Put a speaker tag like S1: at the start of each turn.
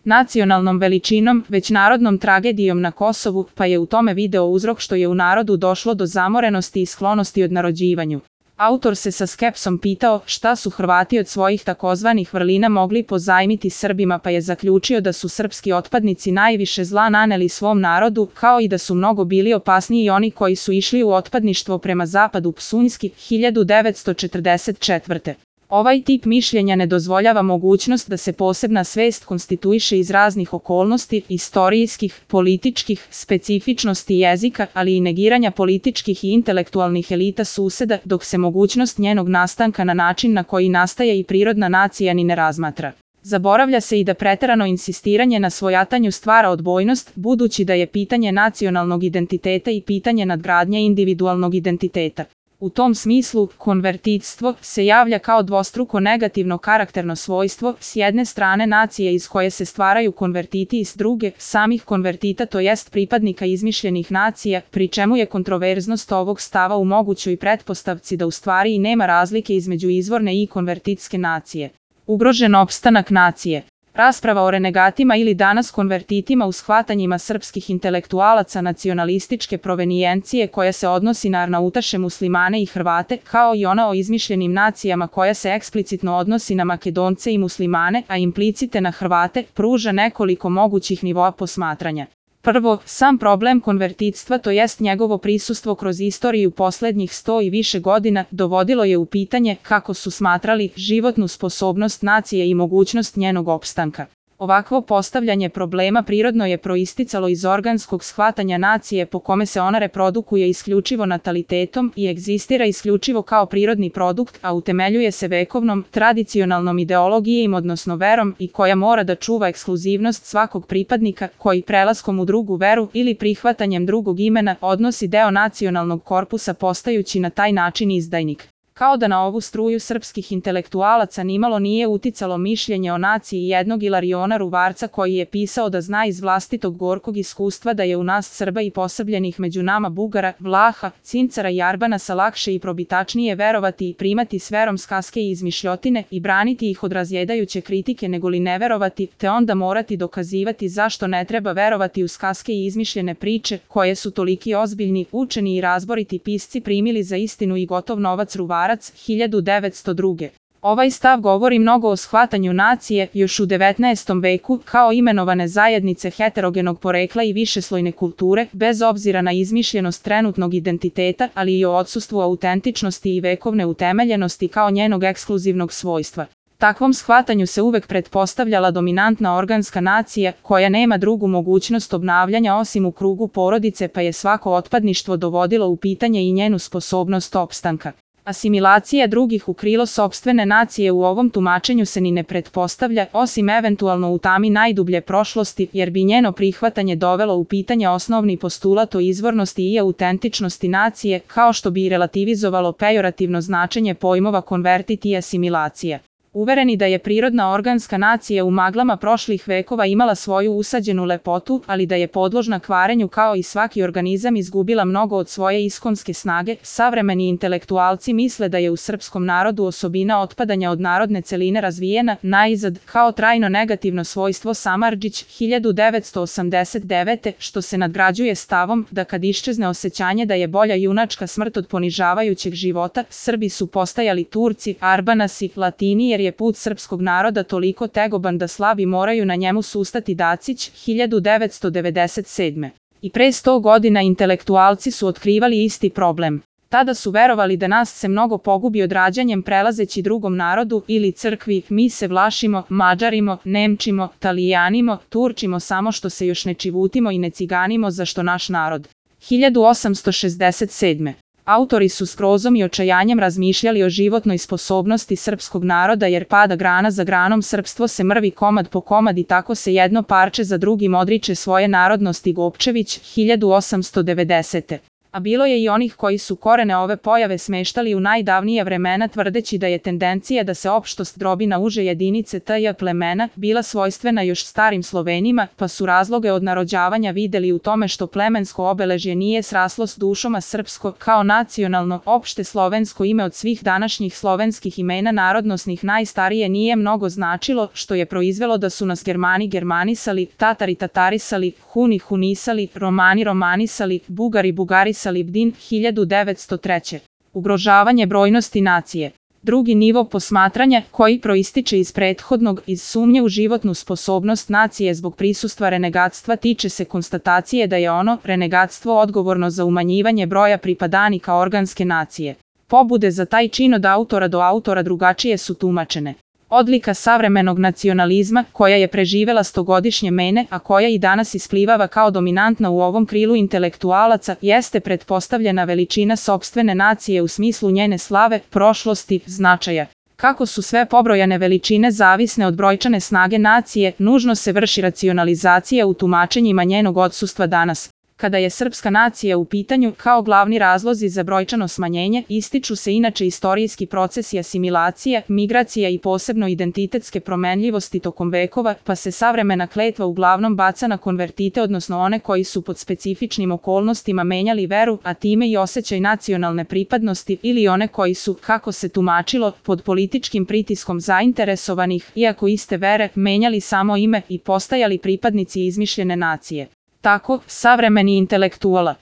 S1: nacionalnom veličinom, već narodnom tragedijom na Kosovu, pa je u tome video uzrok što je u narodu došlo do zamorenosti i sklonosti odnarođivanju. Autor se sa skepsom pitao šta su Hrvati od svojih takozvanih vrlina mogli pozajmiti Srbima, pa je zaključio da su srpski otpadnici najviše zla naneli svom narodu, kao i da su mnogo bili opasniji oni koji su išli u otpadništvo prema zapadu. Psunjski, 1944. Ovaj tip mišljenja ne dozvoljava mogućnost da se posebna svest konstituiše iz raznih okolnosti, istorijskih, političkih, specifičnosti jezika, ali i negiranja političkih i intelektualnih elita suseda, dok se mogućnost njenog nastanka na način na koji nastaje i prirodna nacija ni ne razmatra. Zaboravlja se i da preterano insistiranje na svojatanju stvara odbojnost, budući da je pitanje nacionalnog identiteta i pitanje nadgradnje individualnog identiteta. U tom smislu, konvertitstvo se javlja kao dvostruko negativno karakterno svojstvo, s jedne strane nacije iz koje se stvaraju konvertiti i s druge, samih konvertita, to jest pripadnika izmišljenih nacija, pri čemu je kontroverznost ovog stava u mogućoj pretpostavci da u stvari i nema razlike između izvorne i konvertitske nacije. Ugrožen opstanak nacije. Rasprava o renegatima ili danas konvertitima u shvatanjima srpskih intelektualaca nacionalističke provenijencije koja se odnosi na Arnautaše, Muslimane i Hrvate, kao i ona o izmišljenim nacijama koja se eksplicitno odnosi na Makedonce i Muslimane, a implicite na Hrvate, pruža nekoliko mogućih nivoa posmatranja. Prvo, sam problem konvertitstva, to jest njegovo prisustvo kroz istoriju poslednjih 100 i više godina, dovodilo je u pitanje, kako su smatrali, životnu sposobnost nacije i mogućnost njenog opstanka. Ovakvo postavljanje problema prirodno je proisticalo iz organskog shvatanja nacije po kome se ona reprodukuje isključivo natalitetom i egzistira isključivo kao prirodni produkt, a utemeljuje se vekovnom, tradicionalnom ideologijom odnosno verom i koja mora da čuva ekskluzivnost svakog pripadnika koji prelaskom u drugu veru ili prihvatanjem drugog imena odnosi deo nacionalnog korpusa postajući na taj način izdajnik. Kao da na ovu struju srpskih intelektualaca nimalo nije uticalo mišljenje o naciji jednog Ilariona Ruvarca koji je pisao da zna iz vlastitog gorkog iskustva da je u nas Srba i posrbljenih među nama Bugara, Vlaha, Cincara i Arbanasa lakše i probitačnije verovati i primati s verom skaske i izmišljotine i braniti ih od razjedajuće kritike negoli ne verovati, te onda morati dokazivati zašto ne treba verovati u skaske i izmišljene priče koje su toliki ozbiljni, učeni i razboriti pisci primili za istinu i gotov novac. Ruvarac, 1902. Ovaj stav govori mnogo o shvatanju nacije još u 19. veku kao imenovane zajednice heterogenog porekla i višeslojne kulture, bez obzira na izmišljenost trenutnog identiteta, ali i o odsustvu autentičnosti i vekovne utemeljenosti kao njenog ekskluzivnog svojstva. Takvom shvatanju se uvek pretpostavljala dominantna organska nacija koja nema drugu mogućnost obnavljanja osim u krugu porodice, pa je svako otpadništvo dovodilo u pitanje i njenu sposobnost opstanka. Asimilacija drugih u krilo sopstvene nacije u ovom tumačenju se ni ne pretpostavlja, osim eventualno u tami najdublje prošlosti, jer bi njeno prihvatanje dovelo u pitanje osnovni postulat o izvornosti i autentičnosti nacije, kao što bi i relativizovalo pejorativno značenje pojmova konvertit i asimilacija. Uvereni da je prirodna organska nacija u maglama prošlih vekova imala svoju usađenu lepotu, ali da je podložna kvarenju kao i svaki organizam izgubila mnogo od svoje iskonske snage, savremeni intelektualci misle da je u srpskom narodu osobina otpadanja od narodne celine razvijena, naizad, kao trajno negativno svojstvo. Samardžić, 1989. što se nadgrađuje stavom da kad iščezne osjećanje da je bolja junačka smrt od ponižavajućeg života, Srbi su postajali Turci, Arbanasi, Latini, jer je put srpskog naroda toliko tegoban da slabi moraju na njemu sustati. Dacić, 1997. I pre 100 godina intelektualci su otkrivali isti problem. Tada su verovali da nas se mnogo pogubi odrađanjem prelazeći drugom narodu ili crkvi, mi se Vlašimo, Mađarimo, Nemčimo, Talijanimo, Turčimo samo što se još ne čivutimo i ne ciganimo zašto naš narod. 1867. Autori su s grozom i očajanjem razmišljali o životnoj sposobnosti srpskog naroda jer pada grana za granom srpstvo se mrvi komad po komad i tako se jedno parče za drugim odriče svoje narodnosti. Gopčević, 1890. A bilo je i onih koji su korene ove pojave smeštali u najdavnija vremena tvrdeći da je tendencija da se opštost drobi na uže jedinice t.j. plemena bila svojstvena još starim Slovenima, pa su razloge odnarođavanja videli u tome što plemensko obeležje nije sraslo s dušom, a srpsko, kao nacionalno, opšte slovensko ime od svih današnjih slovenskih imena narodnosnih najstarije nije mnogo značilo, što je proizvelo da su nas Germani germanisali, Tatari tatarisali, Huni hunisali, Romani romanisali, Bugari bugarisali. Din 1903. Ugrožavanje brojnosti nacije. Drugi nivo posmatranja, koji proističe iz prethodnog, iz sumnje u životnu sposobnost nacije zbog prisustva renegatstva, tiče se konstatacije da je ono, renegatstvo, odgovorno za umanjivanje broja pripadanika organske nacije. Pobude za taj čin od autora do autora drugačije su tumačene. Odlika savremenog nacionalizma, koja je preživela stogodišnje mene, a koja i danas isplivava kao dominantna u ovom krilu intelektualaca, jeste pretpostavljena veličina sopstvene nacije u smislu njene slave, prošlosti, značaja. Kako su sve pobrojane veličine zavisne od brojčane snage nacije, nužno se vrši racionalizacija u tumačenjima njenog odsustva danas. Kada je srpska nacija u pitanju, kao glavni razlozi za brojčano smanjenje, ističu se inače istorijski procesi asimilacije, migracija i posebno identitetske promenljivosti tokom vekova, pa se savremena kletva uglavnom baca na konvertite, odnosno one koji su pod specifičnim okolnostima menjali veru, a time i osjećaj nacionalne pripadnosti, ili one koji su, kako se tumačilo, pod političkim pritiskom zainteresovanih, iako iste vere, menjali samo ime i postajali pripadnici izmišljene nacije. Tako, savremeni intelektuala